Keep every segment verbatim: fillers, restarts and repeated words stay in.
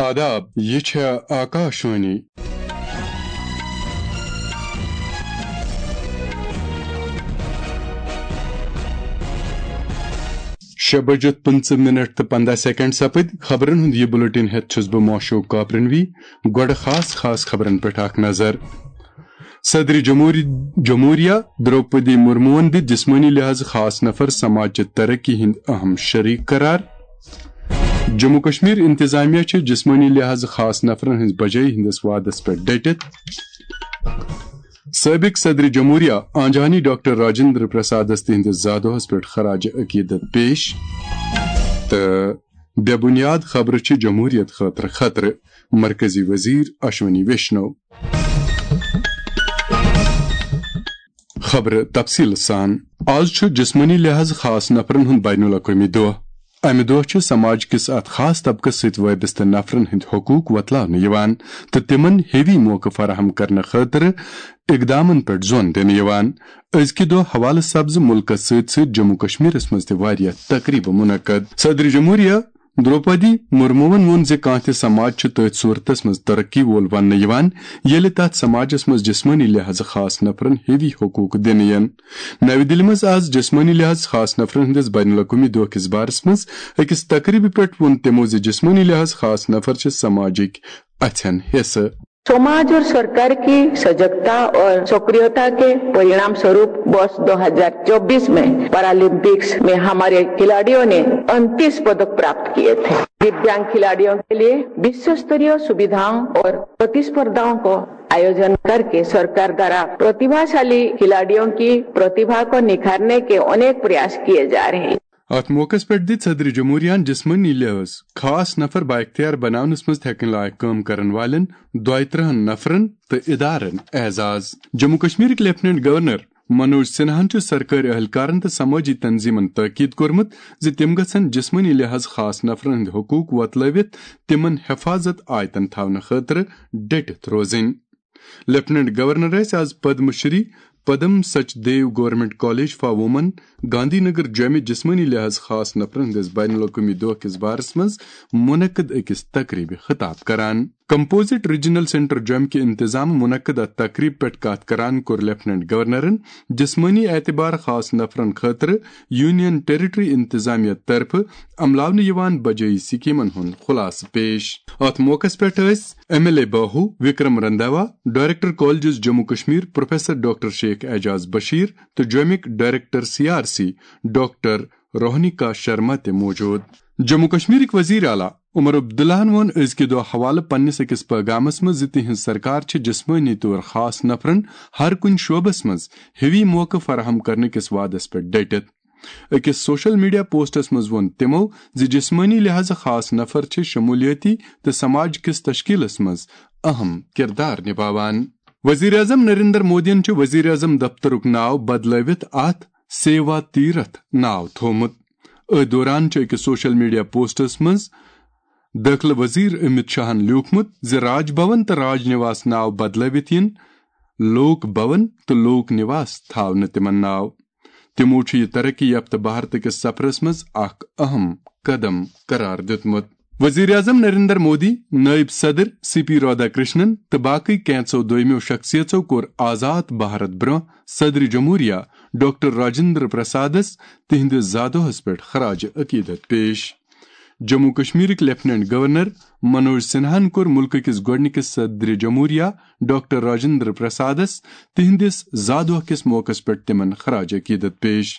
آداب، یہِ چھےٚ آکاشوانی۔ شےٚ بجِتھ پٕنٛژٕہ منٹ تہٕ پنٛداہ سیکنڈ سپٕدۍ۔ خبرن ہُنٛد یہِ بُلٹن ہٮ۪تھ چھُس بہٕ موشوق کاپرنوی۔ گۄڈٕ خاص خاص خبرن پٮ۪ٹھ اکھ نظر۔ صدر جمہوری-، جمہوریہ درٛوپدی مرموہن دِتۍ جسمٲنی لحاظ خاص نفر سماج چہِ ترقی ہٕنٛدۍ اہم شریک قرار۔ جموں کشمیر انتظامیہ چھِ جسمٲنی لحاظ خاص نفرن ہٕنٛز بجٲیی ہٕنٛدِس وعدس پٮ۪ٹھ ڈٔٹِتھ۔ سٲبق صدر جمہوریہ آنجہانی ڈاکٹر راجندر پرسادس تِہنٛدِس زادوہس پٮ۪ٹھ خراج عقیدت پیش۔ تہٕ بے بنیاد خبرٕ چھِ جمہوریت خٲطرٕ خطرٕ، مرکزی وزیر اشونی ویشنو۔ خبرٕ تفصیل سان۔ آز چھُ جسمٲنی لحاظ خاص نفرن ہُنٛد بین الاقوٲمی دۄہ۔ امہِ دۄہ چھِ سماج کِس اتھ خاص طبقس سۭتۍ وابستہٕ نفرن ہٕنٛدۍ حقوق وۄتلاونہٕ یِوان تہٕ تِمن ہیوی موقعہٕ فراہم کرنہٕ خٲطرٕ اقدامن پٮ۪ٹھ زون دِنہٕ یِوان۔ أزکہِ دۄہ حوالہٕ سبزٕ مُلکس سۭتۍ سۭتۍ جموں کشمیرس منٛز تہِ واریاہ تقریبہٕ منعقد۔ صدر جمہوریہ درٛوپدی مرموہن ووٚن زِ کانٛہہ تہِ سماج چھُ تٔتھۍ صورتس منٛز ترقی وول وننہٕ یِوان، ییٚلہِ تتھ سماجس منٛز جسمٲنی لحاظہٕ خاص نفرن ہیوی حقوق دِنہٕ یِن۔ نَوِ دِلہِ منٛز آز جسمٲنی لحاظ خاص نفرن ہٕنٛدِس بین الاقوٲمی دۄہ کِس بارس منٛز أکِس تقریبہِ پٮ۪ٹھ ووٚن تِمو زِ جسمٲنی لحاظ خاص نفر چھِ سماجٕکۍ اَژھٮ۪ن حصہٕ۔ समाज और सरकार की सजगता और सक्रियता के परिणाम स्वरूप वर्ष दो हज़ार चौबीस में पैरालंपिक्स में हमारे खिलाड़ियों ने उनतीस पदक प्राप्त किए थे। दिव्यांग खिलाड़ियों के लिए विश्व स्तरीय सुविधाओं और प्रतिस्पर्धाओं को आयोजन करके सरकार द्वारा प्रतिभाशाली खिलाड़ियों की प्रतिभा को निखारने के अनेक प्रयास किए जा रहे हैं। اتھ موقعس پٮ۪ٹھ دِژ صدر جمہوریہن جسمٲنی لحاظ خاص نفر بااختیار بناونس منٛز تھٮ۪کن لایق کٲم کرن والٮ۪ن دۄیہِ ترٕٛہن نفرن تہٕ ادارن اعزاز۔ جموں کشمیرٕکۍ لیفٹیننٹ گورنر منوج سنہاہن چھُ سرکٲرۍ اہلکارن تہٕ سمٲجی تنظیمن تاکید کوٚرمُت زِ تِم گژھن جسمٲنی لحاظ خاص نفرن ہٕنٛدۍ حقوق وۄتلٲوِتھ تِمن حفاظت آیتن تھاونہٕ خٲطرٕ ڈٔٹِتھ روزٕنۍ۔ لیفٹیننٹ گورنر ٲسۍ آز Padma Shri Padma Sachdev government college for women, Gandhi Nagar جومہِ جسمٲنی لحاظ خاص نفرن ہٕنٛدِس بین الاقوٲمی دۄہ کِس بارس منٛز منعقد أکِس تقریبہِ خطاب کران۔ کمپوزٹ ریجنل سینٹر جومہِ کہِ انتظام منعقد اتھ تقریب پٮ۪ٹھ کتھ کران کوٚر لیفٹیننٹ گورنرن جسمٲنی اعتبار خاص نفرن خٲطرٕ یونین ٹیریٹری انتظامیہ طرفہٕ عملاونہٕ یِوان بجٲیی سکیمن ہُنٛد خلاصہٕ پیش۔ اتھ موقعس پٮ۪ٹھ ٲسۍ M L A Bahu Vikram Randhawa, director colleges Jammu Kashmir professor doctor Sheikh Aijaz Bashir تہٕ جومِک director C R C doctor Rohinika Sharma تہِ موجود۔ جموں کشمیرٕکۍ وزیر اعلیٰ عمر عبداللہن ووٚن أزکہِ دۄہ حوالہٕ پننِس أکِس پیغامس منٛز زِ تِہنٛز سرکار چھِ جسمٲنی طور خاص نفرن ہر کُنہِ شعبس منٛز ہیوی موقعہٕ فراہم کرنہٕ کِس وعدس پٮ۪ٹھ ڈٔٹِتھ۔ أکِس سوشل میڈیا پوسٹس منٛز ووٚن تِمو زِ جسمٲنی لحاظہٕ خاص نفر چھِ شمولیٲتی تہٕ سماج کِس تشکیلس منٛز اہم کردار نباوان۔ وزیر اعظم نریندر مودیَن چھُ وزیر اعظم دفترُک ناو بدلٲوِتھ اتھ سیوا تیرتھ ناو تھوومُت۔ أتھۍ دوران چھُ أکِس سوشل میڈیا پوسٹس منٛز دٲخلہٕ وزیر امت شاہن لیوٗکھمُت زِ راج بھون تہٕ راج نواس ناو بدلٲوِتھ یِن لوک بھون تہٕ لوک نواس تھاونہٕ تِمن ناو۔ تِمو چھُ یہِ ترقی یافتہٕ بھارت کِس سفرس منٛز اکھ اہم قدم قرار دیُتمُت۔ وزیر اعظم نریندر مودی، نائب صدر سی پی رادھا کرشنن تہٕ باقٕے کینٛژو دویمو شخصیژو کوٚر آزاد بھارت برٛونٛہہ صدر جمہوریہ ڈاکٹر راجندر پرسادس تِہنٛدِس زادوہس پٮ۪ٹھ خراج عقیدت پیش۔ جموں کشمیرٕکۍ لیفٹیننٹ گورنر منوج سنہاہن کوٚر مُلکہٕ کِس گۄڈٕنِکِس صدر جمہوریہ ڈاکٹر راجندر پرسادس تِہنٛدِس زادوہ کِس موقعس پٮ۪ٹھ تِمن خراج عقیدت پیش۔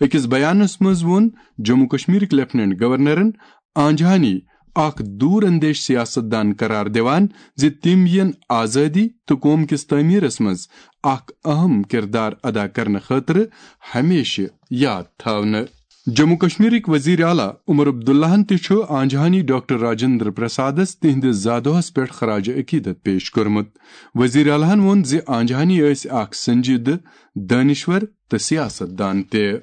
أکِس بیانس منٛز ووٚن جموں کشمیرٕکۍ لیفٹیننٹ گورنرن آنجہانی اکھ دوٗر اندیش سیاست دان قرار دِوان زِ تِم یِن آزٲدی تہٕ قوم کِس تعمیرس منٛز اکھ اہم کردار ادا کرنہٕ خٲطرٕ ہمیشہٕ یاد تھاونہٕ۔ جموں کشمیرٕکۍ وزیر اعلیٰ عمر عبداللہن تہِ چھُ آنجہانی ڈاکٹر راجندر پرسادس تِہنٛدِس زادوہس پٮ۪ٹھ خراج عقیدت پیش کوٚرمُت۔ وزیر اعلیٰ ہن ووٚن زِ آنجہانی ٲسۍ اکھ سنجیدٕ، دٲنشور تہٕ سیاست دان تہِ۔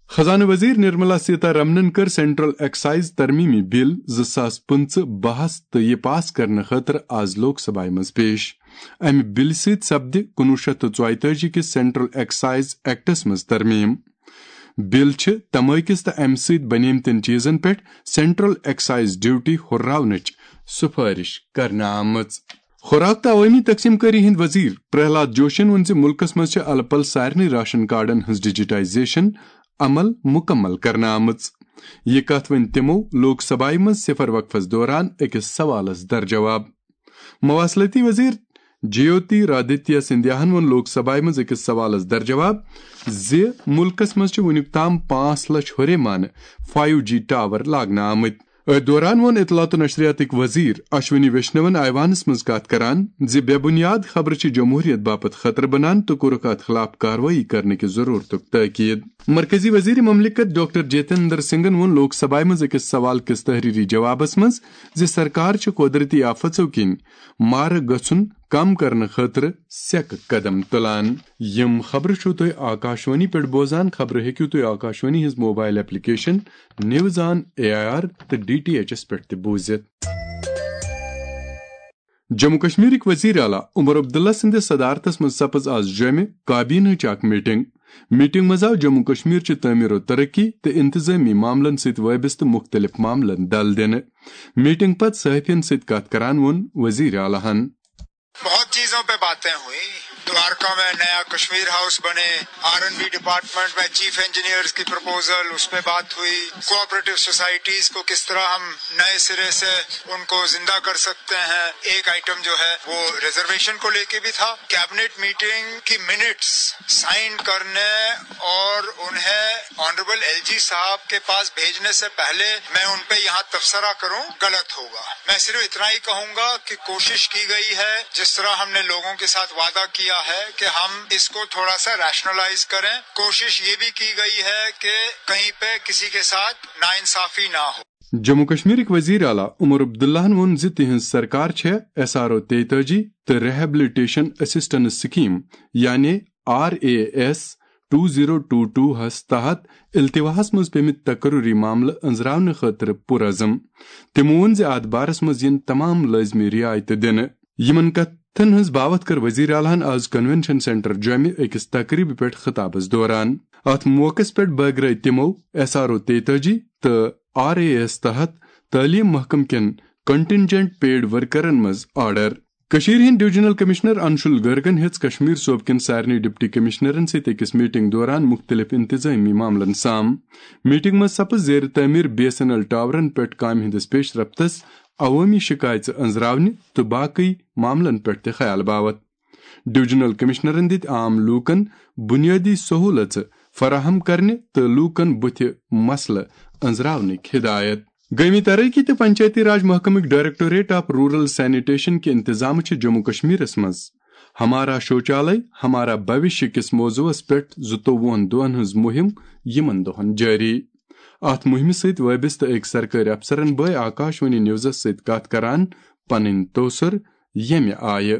خزانہٕ وزیر نرملا سیتا رمنن کٔر سینٹرل ایکسائز ترمیمی بل زٕ ساس پٕنٛژٕہ بحث تہٕ یہِ پاس کرنہٕ خٲطرٕ آز لوک سبھایہ منٛز پیش۔ امہِ بلہِ سۭتۍ سپدِ کُنوُہ شیٚتھ تہٕ ژۄیتٲجی کِس سینٹرل ایکسائز ایکٹس منٛز ترمیم۔ بل چھِ تمٲکِس تہٕ امہِ سۭتۍ بنیمتٮ۪ن چیزن پٮ۪ٹھ سینٹرل ایکسائز ڈیوٹی ہُرراونٕچ سفارش کرنہٕ آمٕژ۔ خوراک تہٕ عوٲمی تقسیم کٲری ہٕنٛدۍ وزیر پرہلاد جوشین ووٚن زِ مُلکس منٛز چھِ الہٕ پلہٕ سارنٕے راشن کارڈن ہٕنٛز ڈیجیٹائزیشن عمل مکمل کرنہٕ آمٕژ۔ یہِ کتھ ؤنۍ تِمو لوک سبھایہ منٛز صفر وقفس دوران أکِس سوالس درجواب۔ مواصلاتی وزیر جیوتی رادتیہ سندھیاہن ووٚن لوک سبھایہ منٛز أکِس سوالس درجواب زِ مُلکس منٛز چھِ وُنیُک تام پانٛژھ لچھ ہُرے مانہٕ فایو جی ٹاور لاگنہٕ آمٕتۍ۔ أتھۍ دوران ووٚن اطلاعات و نشریاتٕکۍ وزیر اشونی ویشنون ایوانس منٛز کتھ کران زِ بے بنیاد خبرٕ چھِ جمہوریت باپتھ خطرٕ بنان تہٕ کوٚرُکھ اتھ خلاف کاروٲیی کرنہٕ کہِ ضرورتُک تاکید۔ مرکزی وزیر مملکت ڈاکٹر جتیندر سنگھن ووٚن لوک سبھایہ منٛز أکِس سوال کِس تحریری جوابس منٛز زِ سرکار چھِ قۄدرتی آفژو کِنۍ مارٕ گژھُن کم کرنہٕ خٲطرٕ سیٚکہٕ قدم تُلان۔ یِم خبرٕ چھِو تُہۍ آکاشوانی پٮ۪ٹھ بوزان۔ خبرٕ ہیٚکِو تُہۍ آکاشوانی ہٕنٛز mobile application news on A I R تہٕ ڈی ٹی ایچ ایس پٮ۪ٹھ تہِ بوٗزِتھ۔ جموں کشمیرٕکۍ وزیر اعلیٰ عمر عبداللہ سٕنٛدِس صدارتس منٛز سپٕز آز جوٚمہِ کابینہٕچ اکھ میٹنگ۔ میٹنگ منٛز آو جموں کشمیر چہِ تعمیر و ترقی تہٕ انتظامی معاملن سۭتۍ وابستہٕ مُختٔلِف معاملن دل دِنہٕ۔ میٹنگ پتہٕ صحافین سۭتۍ کتھ کران ووٚن وزیر اعلیٰ ہن۔ बहुत चीजों पे बातें हुई। द्वारका में नया कश्मीर हाउस बने, आर एंड बी डिपार्टमेंट में चीफ इंजीनियर्स की प्रपोजल, उस पे बात हुई। कोऑपरेटिव सोसाइटीज को किस तरह हम नए सिरे से उनको जिंदा कर सकते हैं, एक आइटम जो है वो रिजर्वेशन को लेके भी था। कैबिनेट मीटिंग की मिनट्स साइन करने और उन्हें ऑनरेबल एलजी साहब के पास भेजने से पहले मैं उन पे यहाँ तबसरा करूं, गलत होगा। मैं सिर्फ इतना ही कहूंगा कि कोशिश की गई है, जिस तरह हमने लोगों के साथ वादा किया है कि हम इसको थोड़ा सा रैशनलाइज करें, कोशिश ये भी की गई है कि कहीं पे किसी के साथ नाइंसाफी ना हो। جموں کشمیرٕکۍ وزیر اعلیٰ عمر عبداللہن ووٚن زِ تِہنٛز سرکار چھےٚ ایس آر او تیتٲجی تہٕ ریہیبلیٹیشن اسسٹنس سکیم یعنی R A S two zero two two ہس تحت التواہس منٛز پیمٕتۍ تقرری معاملہٕ أنٛزراونہٕ خٲطرٕ پُرعزم۔ تِمو ووٚن زِ اتھ بارس منٛز یِن تمام لٲزمی رعایتہٕ دِنہٕ۔ یِمن کتھن ہٕنٛز باوتھ کٔر وزیر اعلیٰ ہن آز کنونشن سینٹر جوٚمہِ أکِس تقریبہِ پٮ۪ٹھ خطابس دوران۔ اتھ موقعس پٮ۪ٹھ بٲگرٲوۍ تِمو ایس آر او تیتٲجی تہٕ آر اے ایس تحت تعلیٖم محکمہٕ کٮ۪ن کنٹنجنٹ پیڈ ورکرن منٛز آرڈر۔ کٔشیٖرِ ہٕنٛدۍ ڈویژنل کمشنر انشول گرگن ہیٚژ کشمیر صوبہٕ کٮ۪ن سارنٕے ڈپٹی کمشنرن سۭتۍ أکِس میٹنگ دوران مُختٔلِف انتظٲمی معاملن سام۔ میٹنگ منٛز سپٕز زیر تعمیٖر بی ایس این ایل ٹاورن پٮ۪ٹھ کامہِ ہٕنٛدِس پیش رفتس، عوٲمی شکایژٕ أنٛزراونہِ تہٕ باقٕے معاملن پٮ۪ٹھ تہِ خیال باوتھ۔ ڈویژنل کمشنرن دِتۍ عام لوٗکن بُنیٲدی سہوٗلژٕ فراہم کرنہِ تہٕ لوٗکن بُتھِ مسلہٕ أنٛزراونٕکۍ ہدایت۔ گٲمی ترقی تہٕ Panchayati Raj محکمٕکۍ directorate of rural sanitation کہِ انتظامہٕ چھِ جموں کشمیرس منٛز ہمارا شوچالے ہمارا بھوشیہ کِس موضوعس پٮ۪ٹھ زٕتووُہن دۄہن ہٕنٛز مُہِم یِمن دۄہن جٲری۔ اتھ مُہِمہِ سۭتۍ وٲبستہٕ أکۍ سرکٲرۍ افسرن بٲے آکاشوانی نیوزس سۭتۍ کتھ کران پنٕنۍ توسر ییٚمہِ آیہِ۔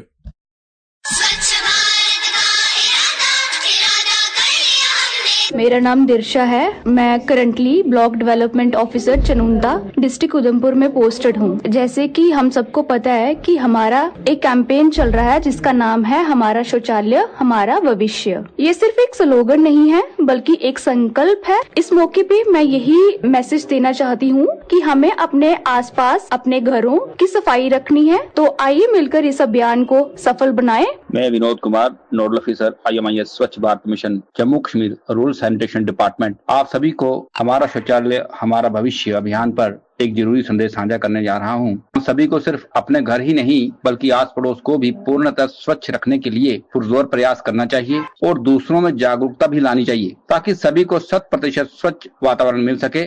मेरा नाम दिर्शा है। मैं currently block development officer Chanunda, district Udhampur में पोस्टेड हूँ। जैसे कि हम सबको पता है कि हमारा एक कैंपेन चल रहा है जिसका नाम है हमारा शौचालय हमारा भविष्य। ये सिर्फ एक स्लोगन नहीं है, बल्कि एक संकल्प है। इस मौके पे मैं यही मैसेज देना चाहती हूँ कि हमें अपने आसपास, अपने घरों की सफाई रखनी है। तो आइए मिलकर इस अभियान को सफल बनाएं। मैं विनोद कुमार, नोडल ऑफिसर आईएमआईएस स्वच्छ Bharat mission, Jammu Kashmir rural sanitation department, आप सभी को हमारा शौचालय हमारा भविष्य अभियान पर एक जरूरी संदेश साझा करने जा रहा हूं। हम सभी को सिर्फ अपने घर ही नहीं, बल्कि आस पड़ोस को भी पूर्णतः स्वच्छ रखने के लिए पुरजोर प्रयास करना चाहिए और दूसरों में जागरूकता भी लानी चाहिए, ताकि सभी को शत प्रतिशत स्वच्छ वातावरण मिल सके।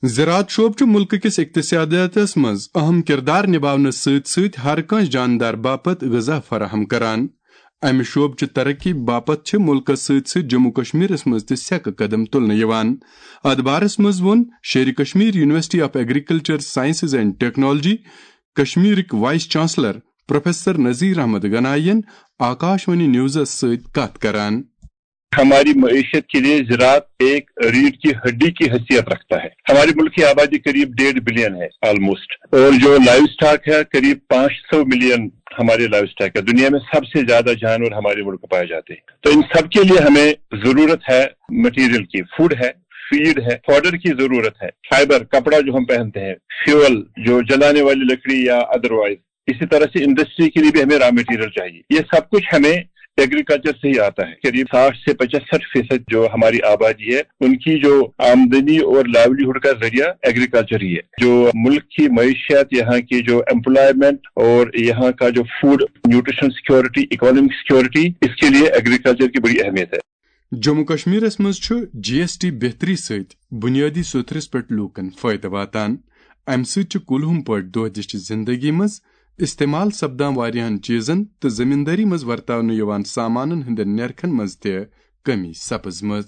زراعت شعبہٕ چھُ مُلکہٕ کِس اقتصادیاتس منٛز اہم کردار نِباونس سۭتۍ سۭتۍ ہر کانٛہہ جاندار باپتھ غذا فراہم کران۔ امہِ شعبہٕ چہِ ترقی باپتھ چھِ مُلکس سۭتۍ سۭتۍ جموں کشمیرس منٛز تہِ سیٚکہٕ قدم تُلنہٕ یِوان۔ اتھ بارس منٛز ووٚن Sher-e Kashmir university of agriculture sciences and technology کشمیرٕکۍ vice chancellor professor Nazir Ahmad Ganai ین آکاشوانی نیوزس سۭتۍ کتھ کران۔ ہماری معیشت کے لیے زراعت ایک ریڑھ کی ہڈی کی حیثیت رکھتا ہے۔ ہمارے ملک کی آبادی قریب ڈیڑھ بلین ہے آلموسٹ، اور جو لائیو سٹاک ہے قریب پانچ سو ملین ہمارے لائیو اسٹاک کا، دنیا میں سب سے زیادہ جانور ہمارے ملک میں پائے جاتے ہیں۔ تو ان سب کے لیے ہمیں ضرورت ہے مٹیریل کی، فوڈ ہے، فیڈ ہے، فوڈر کی ضرورت ہے، فائبر، کپڑا جو ہم پہنتے ہیں، فیول، جو جلانے والی لکڑی یا ادروائز، اسی طرح سے انڈسٹری کے لیے بھی ہمیں را مٹیریل چاہیے۔ یہ سب کچھ ہمیں ایگریکلچر سے ہی آتا ہے۔ قریب ساٹھ سے پچسٹھ فیصد جو ہماری آبادی ہے، ان کی جو آمدنی اور لائیولیہڈ کا ذریعہ ایگریکلچر ہی ہے۔ جو ملک کی معیشت، یہاں کی جو ایمپلائمنٹ اور یہاں کا جو food nutrition security, economic security, اس کے لیے ایگریکلچر کی بڑی اہمیت ہے۔ جموں کشمیرس منٛز چھُ جی ایس ٹی بہتری سۭتۍ بنیٲدی سوٚتھرِس پٮ۪ٹھ لوٗکن فٲیدٕ واتان۔ امہِ سۭتۍ چھِ کُلہُم پٲٹھۍ دۄہ دِشہِ زندگی منٛز استعمال سپدان واریاہن چیزن تہٕ زمیندٲری منٛز ورتاونہٕ یِوان سامانن ہٕنٛدٮ۪ن نرخن منٛز تہِ کمی سپٕزمٕژ۔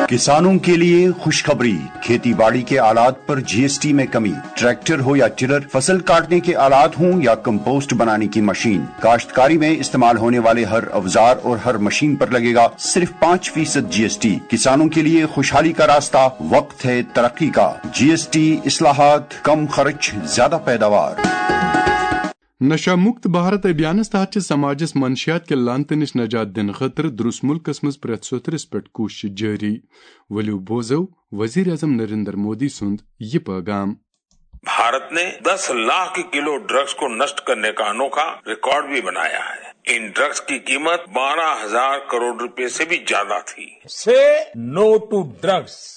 کسانوں کے لیے خوشخبری، کھیتی باڑی کے آلات پر جی ایس ٹی میں کمی، ٹریکٹر ہو یا ٹلر، فصل کاٹنے کے آلات ہوں یا کمپوسٹ بنانے کی مشین، کاشتکاری میں استعمال ہونے والے ہر اوزار اور ہر مشین پر لگے گا صرف پانچ فیصد جی ایس ٹی۔ کسانوں کے لیے خوشحالی کا راستہ، وقت ہے ترقی کا۔ جی ایس ٹی، اصلاحات، کم خرچ، زیادہ پیداوار۔ نشہ مکت بھارت ابھیانس تحت چھِ سماجس منشیات کہِ لعنتہٕ نِش نجات دِنہٕ خٲطرٕ درُس ملکس منٛز پرٛٮ۪تھ سوٚتھرِس پٮ۪ٹھ کوٗشش جٲری۔ ؤلِو بوزو وزیر اعظم نریندر مودی سُنٛد یہِ پٲغام۔ भारत ने दस लाख किलो ड्रग्स को नष्ट करने का अनोखा रिकॉर्ड भी बनाया है। इन ड्रग्स की कीमत बारह हजार करोड़ रुपए से भी ज्यादा थी। Say no to drugs.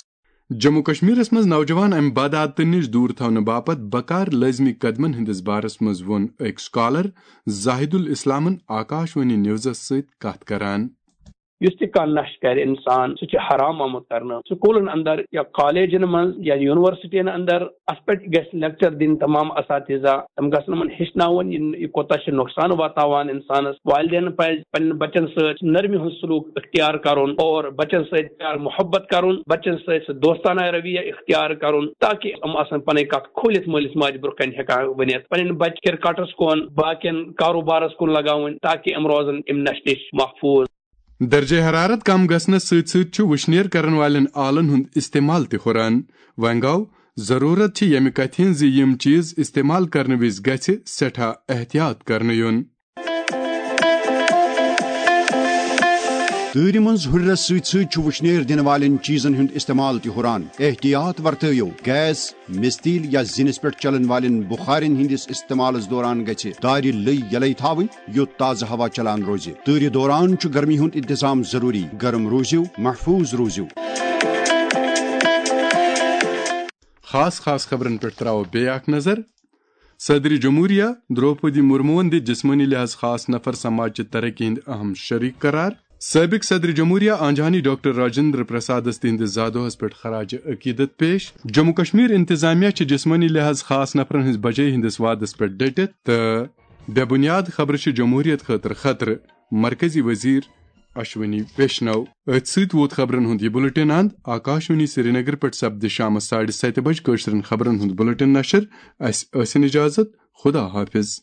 Jammu کشمیرس منٛز نوجوان امہِ بدعادتہٕ نِش دوٗر تھاونہٕ باپتھ بکار لٲزمی قدمن ہٕنٛدِس بارس منٛز ووٚن أکۍ سکالر زاہد الاسلامن آکاش وانی نیوزس سۭتۍ کتھ کران۔ یُس تہِ کانٛہہ نشہٕ کرِ انسان، سُہ چھُ حرام آمُت کرنہٕ۔ سکوٗلن اندر یا کالجن منٛز یا یونیورسٹین اندر اتھ پٮ۪ٹھ گژھِ لیکچر دِنۍ تمام اساتذہ، تِم گژھن یِمن ہیٚچھناوُن یہِ یہِ کوٗتاہ چھُ نۄقصان واتناوان انسانس۔ والدینن پزِ پننٮ۪ن بچن سۭتۍ نرمی ہُنٛد سلوک اختیار کرُن اور بچن سۭتۍ پیار محبت کرُن، بچن سۭتۍ سُہ دوستانہ رویہ اختیار کرُن، تاکہ یِم آسن پنٕنۍ کتھ کھوٗلِتھ مٲلِس ماجہِ برونٛہہ کنہِ ہٮ۪کان ؤنِتھ۔ پنٕنٮ۪ن بچہٕ کرکٹس کُن، باقین کاروبارس کُن لگاوٕنۍ، تاکہ یِم روزن امہِ نشہِ نِش محفوظ۔ درجہ حرارت کم گژھنس سۭتۍ سۭتۍ چھُ وُشنیر کرن والٮ۪ن آلن ہُنٛد استعمال تہِ ہُران۔ وۄنۍ گوٚو، ضروٗرت چھِ ییٚمہِ کتھِ ہٕنٛز زِ یِم چیز استعمال کرنہٕ وِزِ گژھِ سٮ۪ٹھاہ احتیاط کرنہٕ یُن۔ تۭرِ منٛز ہُرِرس سۭتۍ سۭتۍ چھُ وُشنیر دِنہٕ والٮ۪ن چیزن ہُنٛد استعمال تہِ ہُران۔ احتیاط ورتٲیِو، گیس، مِستیٖل یا زِنِس پٮ۪ٹھ چلن والٮ۪ن بُخارٮ۪ن ہٕنٛدِس استعمالس دوران گژھِ دارِ لٔۍ یلے تھاوٕنۍ، یوٚت تازٕ ہوا چلان روزِ۔ تۭرِ دوران چھُ گرمی ہُنٛد انتظام ضروٗری۔ گرم روٗزِو، محفوٗظ روٗزِو۔ خاص خاص خبرن پٮ۪ٹھ تراوو بیٚیہِ اکھ نظر۔ صدر جمہوریہ درٛوپدی مرموٗہن دِتۍ جسمٲنی لحاظ خاص نفر سماج چہِ ترقی ہٕنٛدۍ اہم شریک قرار۔ سٲبق صدر جمہوریہ آنجہانی ڈاکٹر راجندر پرسادس تِہنٛدِس زادوہس پٮ۪ٹھ خراج عقیدت پیش۔ جموں کشمیر انتظامیہ چھِ جسمٲنی لحاظ خاص نفرن ہٕنٛز بجٲیی ہٕنٛدِس وعدس پٮ۪ٹھ ڈٔٹِتھ تہٕ بے بنیاد خبرٕ چھِ جمہوریت خٲطرٕ خطرٕ، مرکزی وزیر اشونی ویشنو۔ أتھۍ سۭتۍ ووت خبرن ہُنٛد یہِ بُلٹن اند۔ آکاشوانی سرینگر پٮ۪ٹھ سپدِ شامس ساڑِ ستہِ بجہِ کٲشرٮ۪ن خبرن ہُنٛد بُلٹن نشر۔ اسہِ ٲسِن اجازت۔ خدا حافظ۔